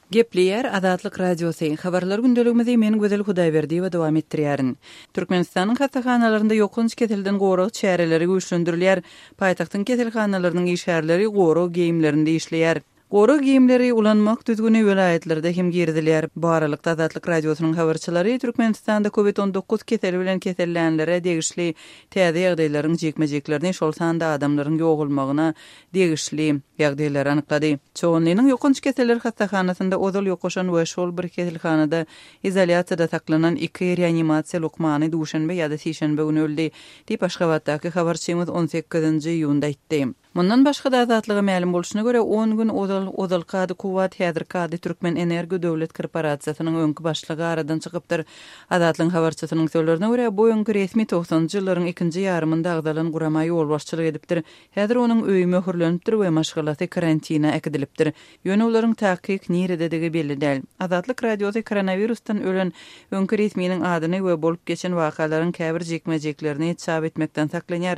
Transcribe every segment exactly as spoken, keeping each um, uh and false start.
Gepleýär Azatlyk Radiosy. Habarlar gündeligimizi men Gözel Hudaýberdiýewa dowam etdirýärin. Türkmenistanyň hassahanalarynda ýokanç keselden gorag çäreleri güýçlendirilýär. Paýtagtyň keselhanalarynyň işgärleri gorag geýimlerinde işleýär. Gorag geýimleri ulanmak düzgüni welaýatlarda hem girizilýär. Bu aralykda Azatlyk Radiosynyň habarçylary Türkmenistanda COVID on dokuz keseli bilen kesellänlere degişli täze ýagdaýlaryň jikme-jiklerini, şol sanda adamlaryň ýogalmagyna degişli ýagdaýlary anyklady. Çoganlynyň ýokanç keseller hassahanasynda ozal ýokaşan we şol bir keselhanada izolýasiýada saklanan iki reanimasiýa lukmany duşenbe ýa-da sişenbe güni öldi, diýip Aşgabatdaky habarçymyz on sekizinji iýunda aýtdy. Mundan başga da Azatlyga mälim bolşuna görä on gün ozal ozalky ady Kuwwat, häzirki ady Türkmen Energo Döwlet Korporasiýasynyň öňki başlygy aradan çykypdyr. Azatlygyň habarçysynyň sözlerine görä bu öňki resmi togsanjy ýyllaryň ikinji ýarymynda agzalan gurama ýolbaşçylyk edipdir. Häzir onuň öýi möhürlenipdir we maşgalasy karantina äkidilipdir. Ýöne olaryň takyk nirededigi belli däl. Azatlyk Radiosy koronavirusdan ölen öňki resminiň adyny we bolup geçen wakalaryň käbir jikme-jiklerini çap etmekden saklanýar.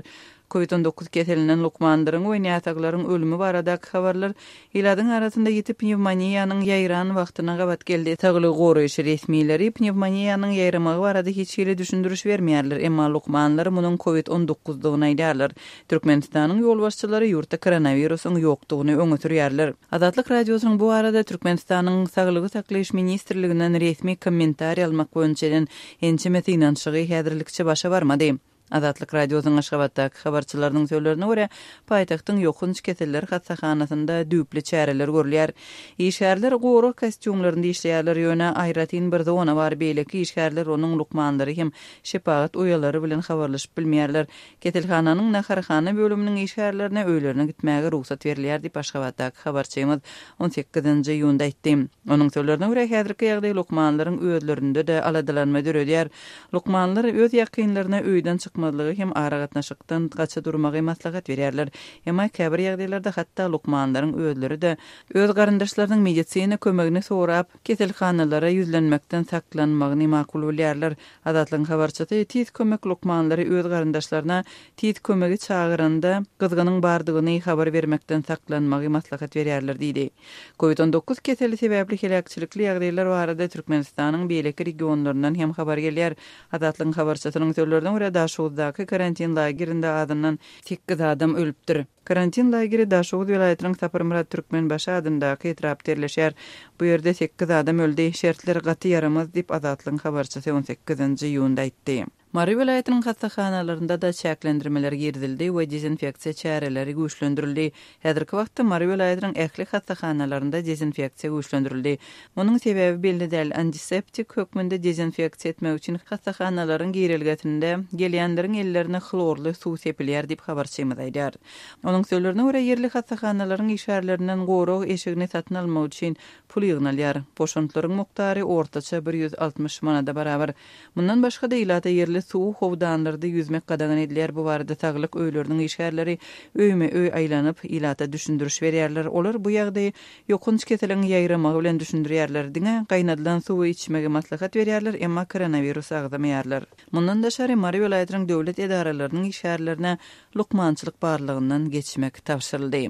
COVID on dokuz keselinden lukmanlaryň we näsaglaryň ölümi baradaky habarlar ilatyň arasynda ýiti pnevmoniýanyň ýaýran wagtyna gabat geldi. Saglygy goraýyş resmileri pnevmoniýanyň ýaýramagy barada hiç hili düşündiriş bermeýärler, emma lukmanlar munuň COVID on dokuzdygyny aýdýarlar. Türkmenistanyň ýolbaşçylary ýurtda koronawirusyň ýokdugyny öňe sürýärler. Azatlyk Radiosynyň bu arada Türkmenistanyň Saglygy saklaýyş ministrliginden resmi kommentariý almak boýunça eden ençeme synanyşygy häzirlikçe başa barmady. Azatlyk Radiosynyň Aşgabatdaky habarçylarynyň sözlerine görä, paýtagtyň ýokanç keseller hassahanasynda düýpli çäreler görülýär. Işgärler gorag kostýumlarynda işleýärler, ýöne aýratyn bir zona bar, beýleki işgärler onuň lukmanlary hem şepagat uýalary bilen habarlaşyp bilmeýärler. Keselhananyň naharhana bölüminiň işgärlerine öýlerine gitmäge rugsat berilýär diýip Aşgabatdaky habarçymyz on sekizinji iýunda aýtdy. Onuň sözlerine görä, häzirki ýagdaý lukmanlaryň özlerinde-de aladalanma döredýär. Lukmanlar öz ýakynlaryna öýden çykmazlygy hem aragatnaşykdan gaça durmagy maslahat berýärler. Emma käbir ýagdaýlarda hatda lukmanlaryň özleri-de öz garyndaşlarynyň medisina kömegini sorap, keselhanalara ýüzlenmekden saklanmagyny makul bilýärler. Azatlygyň habarçysy tiz kömek lukmanlary öz garyndaşlaryna tiz kömegi çagyranda gyzgynyň bardygyny habar bermekden saklanmagy maslahat berýärler diýdi. COVID on dokuz keseli sebäpli heläkçilikli ýagdaýlar barada Türkmenistanyň beýleki regionlaryndan hem habar gelýär. Azatlygyň habarçysynyň sözlerine görä Daşoguzdaky karantin lagerinde azyndan sekiz adam ölüpdir. Karantin lageri Daşoguz welaýatynyň Saparmyrat Türkmenbaşy adyndaky etrapda ýerleşýär. Bu ýerde sekiz adam öldi. Şertler gaty ýaramaz diýip Azatlygyň habarçysy on sekizinji iýunda aýtdy. Mary welaýatynyň hassahanalarynda da çäklendirmeler girizildi we dezinfeksiýa çäreleri güýçlendirildi. Häzirki wagtda Mary welaýatynyň ähli hassahanalarynda dezinfeksiýa güýçlendirildi. Munuň sebäbi belli däl. Antiseptik hökmünde dezinfeksiýa etmek üçin hassahanalaryň girelgesinde gelýänleriň ellerine hlorly suw sepilýär diýip habarçymyz aýdýar. Onuň sözlerine görä ýerli hassahanalaryň işgärlerinden gorag eşigini satyn almak üçin pul ýygnalýar. Boşantlaryň mukdary ortaça bir ýüz altmyş manada barabar. Mundan başga da ilata ýerli suw howdanlarda ýüzmek gadagan edilýär. Bu barada saglyk öýleriniň işgärleri öýme öý aýlanyp ilata düşündiriş berýärler. Olar bu ýagdaýy ýokanç keseliň ýaýramagy bilen düşündirýärler. Diňe gaýnadylan suwy içmegi maslahat berýärler, emma koronavirus agzamaýarlar. Mundan daşary Mary welaýatynyň döwlet edaralarynyň işgärlerine lukmançylyk barlygyndan geçmek tabşyryldy.